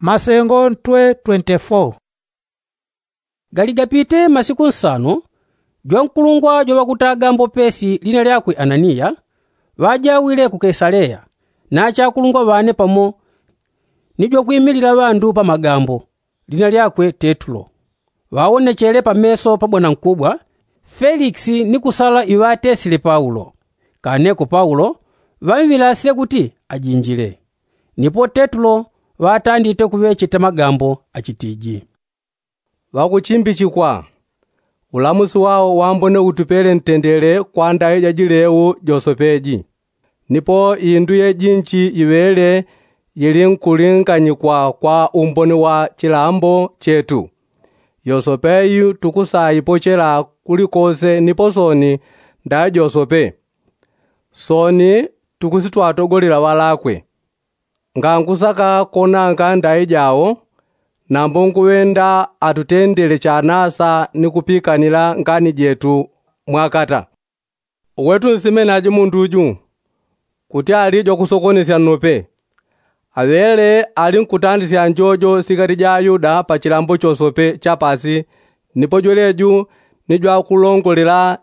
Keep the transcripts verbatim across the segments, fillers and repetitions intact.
Masengo ntwe twenty-four. Gali gapite masiku nsano, jwankulungwa jwaŵakutaga mbopesi lina lyakwe ananiya, ŵajawile ku kesaleya, na achakulungwa ŵane pamo ni jwakwimilila ŵandu pa magambo, lina lyakwe tetulo. Ŵawonechele pameso pa bwanankubwa felikisi ni kusala iŵatesile paulo. Kaneko paulo ŵamwilasile kuti ajinjile. Nipo tetulo ŵatandite kuŵecheta magambo achitiji, ŵakuchimbichikwa. Ulamusi wao wambone utupele ntendele kwa ndaŵi jajileu josopeji. Nipo indu yejinchi iŵele yilinkulinganyikwa kwa umboni wa chilambo chetu. Yosopeyi tukusaipochela kulikose nipo soni ndaŵi josope. Soni tukusitwatogolela ŵalakwe. Ngankusaka konanga ndaŵi jao, nambo nkuŵenda atutendele chanasa ni kupikanila ngani jetu mwakata. Uwetu nsimenaji mundu uju kuti ali jwakusokonesya nnope. Aŵele ali nkutandisya njojo sikati ja ayuda pa chilambo chosope cha pasi. Nipo jweleju ni jwakulongolela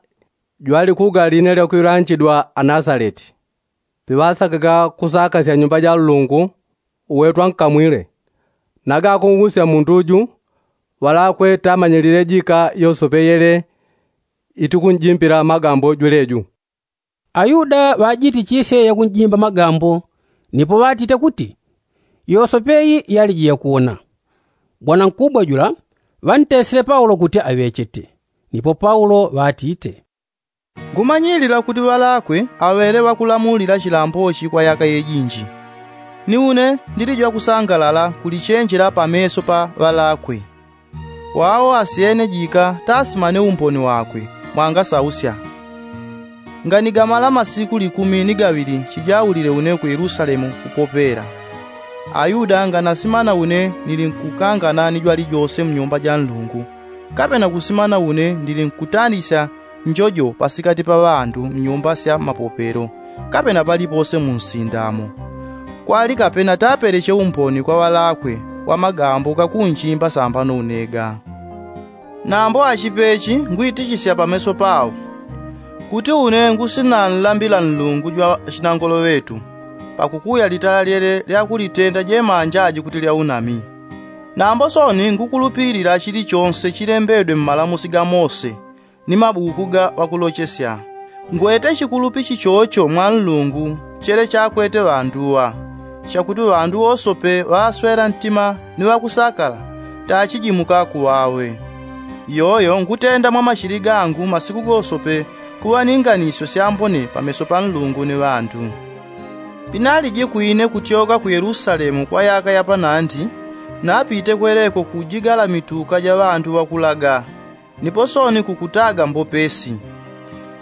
jwalikuga line lyakuŵilanchidwa anasaleti. Piŵasakaga kusakasya nyumba ja nlungu, uwetu ankamwile. Naga akung'usya mundu uju, ŵalakwe tamanyilile jika yosope yele itikunjimbila magambo jweleju. Ayuda ŵajitichisye yakunjimba magambo, nipo ŵatite kuti yosope yi yaliji yakuwona. Bwanankubwa jula ŵantesile paulo kuti aŵechete. Nipo paulo ŵatite, ngumanyilila kuti ŵalakwe aŵele ŵakulamulila chilambochi kwa yaka yejinji. Ni une ndili jwakusangalala kulichenjela pameso pa ŵalakwe. Wao asyene jika tasimane umboni wakwe mwangasausya. Nganigamala masiku likumi ni gaŵili chijaulile une ku yelusalemu kupopela. Ayuda nganasimana une nilinkukangana ni jwalijose mnyumba ja nlungu, kapena kusimana une ndilinkutandisya njojo pasikati pa ŵandu mnyumba sya mapopelo, kapena palipose munsindamo. Kwali kapena tapeleche umboni kwa ŵalakwe wa magambo gakunjimba sambano unega. Nambo achipechi ngwitichisya pameso pao kuti une ngusinanlambila nlungu jwa chinangolo ŵetu, pakukuya litala lyele lyakulitenda jemanja aji kuti lya unami. Nambo soni ngukulupilila chilichonse chilembedwe mmalamusi ga mose ni mabuku ga ŵakulochesya. Ngwete chikulupi chichocho mwa nlungu chele chakwete ŵanduŵa, chakuti ŵandu wosope ŵaswela ntima ni ŵakusakala tachijimuka kuŵawe. Iyoyo ngutenda mwa machili gangu masiku gosope kuŵa ni nganisyo syambone pameso pa nlungu ni ŵandu. Pinaliji kwine kutyoka ku yelusalemu kwa yaka yapanandi, napite kweleko kujigala mituka ja ŵandu ŵakulaga, nipo soni kukutaga mbopesi.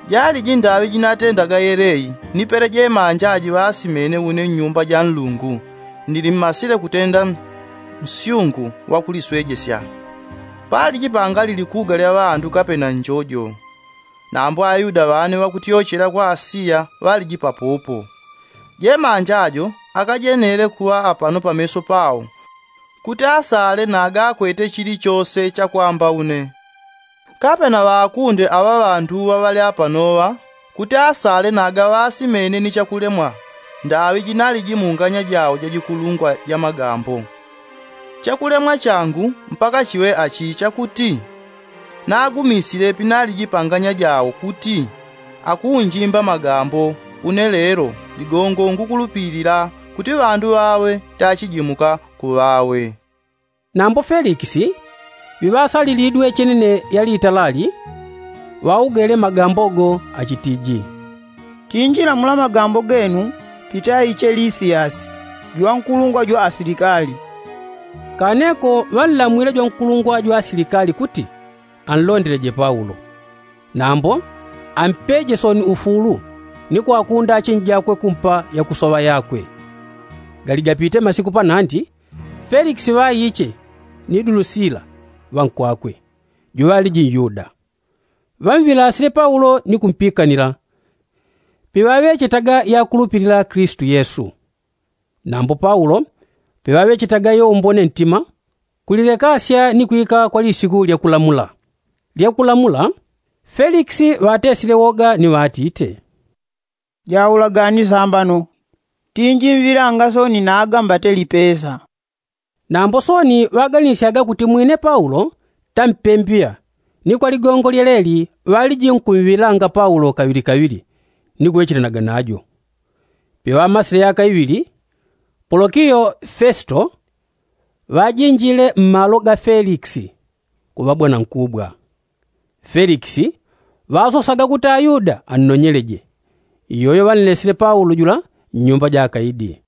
Jaliji ndaŵi jinatendaga yeleyi nipele jemanja aji ŵasimene une mnyumba ja nlungu, nili mmasile kutenda nsyungu wakuliswejesya. Paliji pangali likuga lya ŵandu kapena njojo. Nambo ayuda ŵane ŵakutyochela kwa asiya ŵaliji papopo. Jemanja ajo akajenele kuŵa apano pameso pao, kuti asale nagakwete chilichose chakwamba une. Kapena ŵakunde aŵa ŵanduŵa ŵali apanoŵa kuti asale nagaŵasimene ni chakulemwa ndaŵi jinaliji mu nganya jao jajikulungwa ja magambo. Chakulemwa changu mpaka chiŵe achi chakuti, nagumisile pinaliji pa nganya jao kuti akunjimba magambo, une lelo ligongo ngukulupilila kuti ŵandu ŵawe tachijimuka kuŵawe. Nambo felikisi, ŵiŵasalilidwe chenene yalitalali, ŵaugele magambo go achitiji, tinjila mula magambo genu pitaiche lisiyasi jwankulungwa jwa asilikali. Kaneko ŵanlamwile jwankulungwa jwa asilikali kuti anlondeleje paulo, nambo ampeje soni ufulu ni kwakunda achinji jakwe kumpa yakusoŵa yakwe. Galigapite masiku panandi, felikisi ŵaiche ni dulusila ŵankwakwe, juŵaliji nyuda, ŵamwilasile paulo ni kumpikanila. Piŵaŵechetaga yakulupilila kilisitu yesu. Nambo paulo Peŵaŵechetaga iyo umbone ntima, kulilekasya ni kwika kwa lisiku lya kulamula. Lya kulamula, felikisi ŵatesile woga ni ŵatite, jaulaga ni sambano, tinji mvilanga soni naga mbate lipesa. Nambo soni ŵaganisyaga kuti mwine paulo tampembiŵa, ni kwa ligongo lyeleli ŵaliji nkumvilanga paulo kaŵili kaŵili, ni kuŵechelanaga najo. Peŵamasile yaka iŵili, polokiyo fesito ŵajinjile mmalo ga felikisi, kuŵa bwanankubwa. Felikisi ŵasosaga kuti ayuda annonyeleje. Iyoyo ŵanlesile paulo jula nnyumba ja akaidi.